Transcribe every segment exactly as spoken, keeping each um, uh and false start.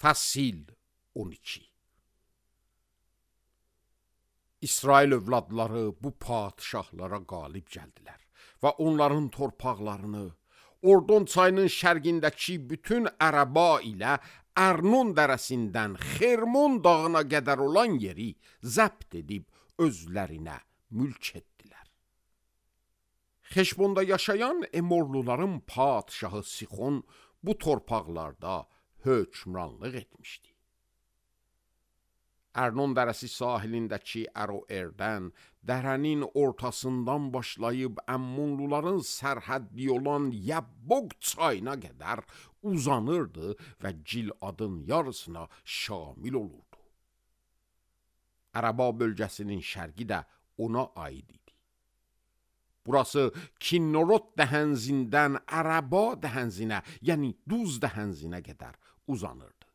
Fəsil on iki. İsrail övladları bu padişahlara qalib gəldilər və onların torpaqlarını, Ordon çayının şərqindəki bütün Ərəba ilə Ərnon dərəsindən Xermon dağına qədər olan yeri zəbt edib özlərinə mülk etdilər. Xeşbonda yaşayan Emorluların padişahı Sixon bu torpaqlarda hökmranlıq etmişdi. Ərnon dərəsi sahilindəki Əroerdən, dərənin ortasından başlayıb Əmmonluların sərhəddi olan Yəbboq çayına qədər uzanırdı və Giladın yarısına şamil olurdu. Ərəba bölgəsinin şərqi də ona aid idi. Burası Kinnorot dəhənzindən Ərəba dəhənzinə, yəni Duz dəhənzinə qədər uzanırdı.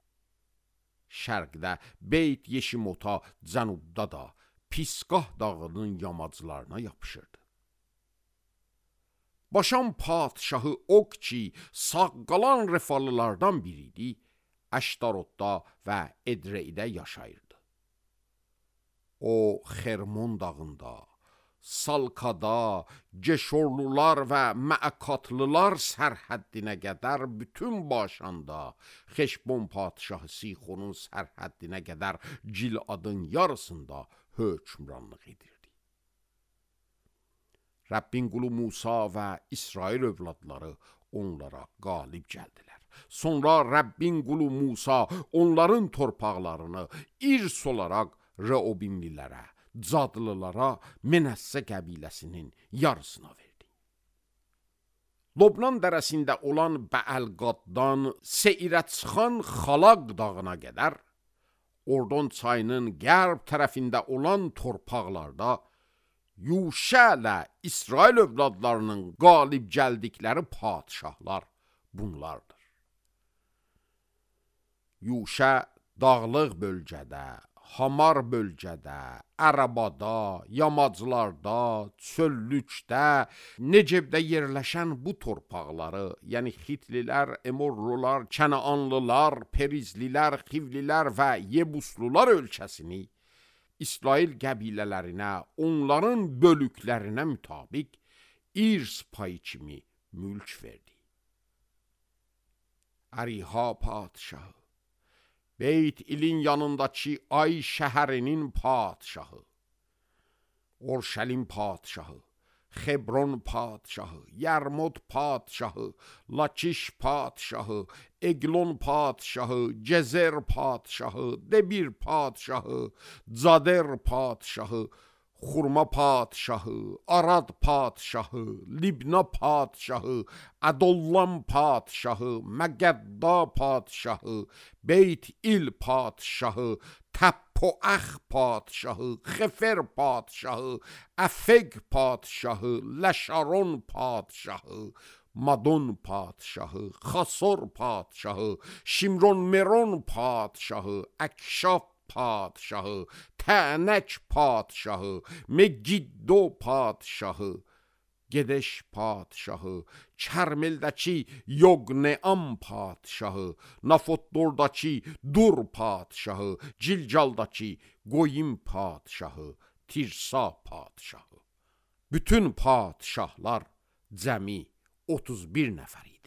Şərqdə Beyt Yeşimota, cənubda da Pisqah dağının yamaclarına yapışırdı. Başan padişahı Ok ki, sağ qalan Refalılardan biriydi, Əştarotda və Edreydə yaşayırdı. O, Xermon dağında, Salkada, Geşorlular və Məəkatlılar sərhəddinə qədər bütün başanda, Xeşbon padişahı Sixonun sərhəddinə qədər Giladın yarısında hökmranlıq edirdi. Rəbbin qulu Musa və İsrail övladları onlara qalib gəldilər. Sonra Rəbbin qulu Musa onların torpaqlarını irs olaraq Reobinlilərə, Cadlılara, Menəssə qəbiləsinin yarısına verdi. Lobnan dərəsində olan Bəəlqaddan Seirə çıxan Xalaq dağına qədər, Ordon çayının qərb tərəfində olan torpaqlarda Yuşələ İsrail övladlarının qalib gəldikləri padişahlar bunlardır. Yuşə dağlıq bölgədə, Hamar bölgədə, Ərəbada, yamaclarda, çöllükdə, Necebdə yerləşən bu torpaqları, yəni Xitlilər, Emorlular, Kənaanlılar, Perizlilər, Xivlilər və Yebuslular ölkəsini İsrail qəbilələrinə, onların bölüklərinə mütabiq irs payı kimi mülk verdi. Əriha padişahı, Beyt ilin yanındakı Ay şəhərinin padişahı, Orşəlim padişahı, Xebron padişahı, Yərmod padişahı, Lakiş padişahı, Eglon padişahı, Gezer padişahı, Debir padişahı, Cader padişahı, Xurma padişahı, Arad padişahı, Libna padişahı, Ədollam padişahı, Məqədda padişahı, Beyt il padişahı, Təppoəx padişahı, Xefer padişahı, Əfeq padişahı, Ləşaron padişahı, Madon padişahı, Xasor padişahı, Şimron Meron padişahı, Əkşaf padişahı, Tənək padişahı, Megiddo padişahı, Gedeş padişahı, Kərmildəki Yoqneam padişahı, Nafotdordakı Dur padişahı, Cilcaldakı Qoyim padişahı, Tirsa padişahı. Bütün padişahlar cəmi otuz bir nəfər idi.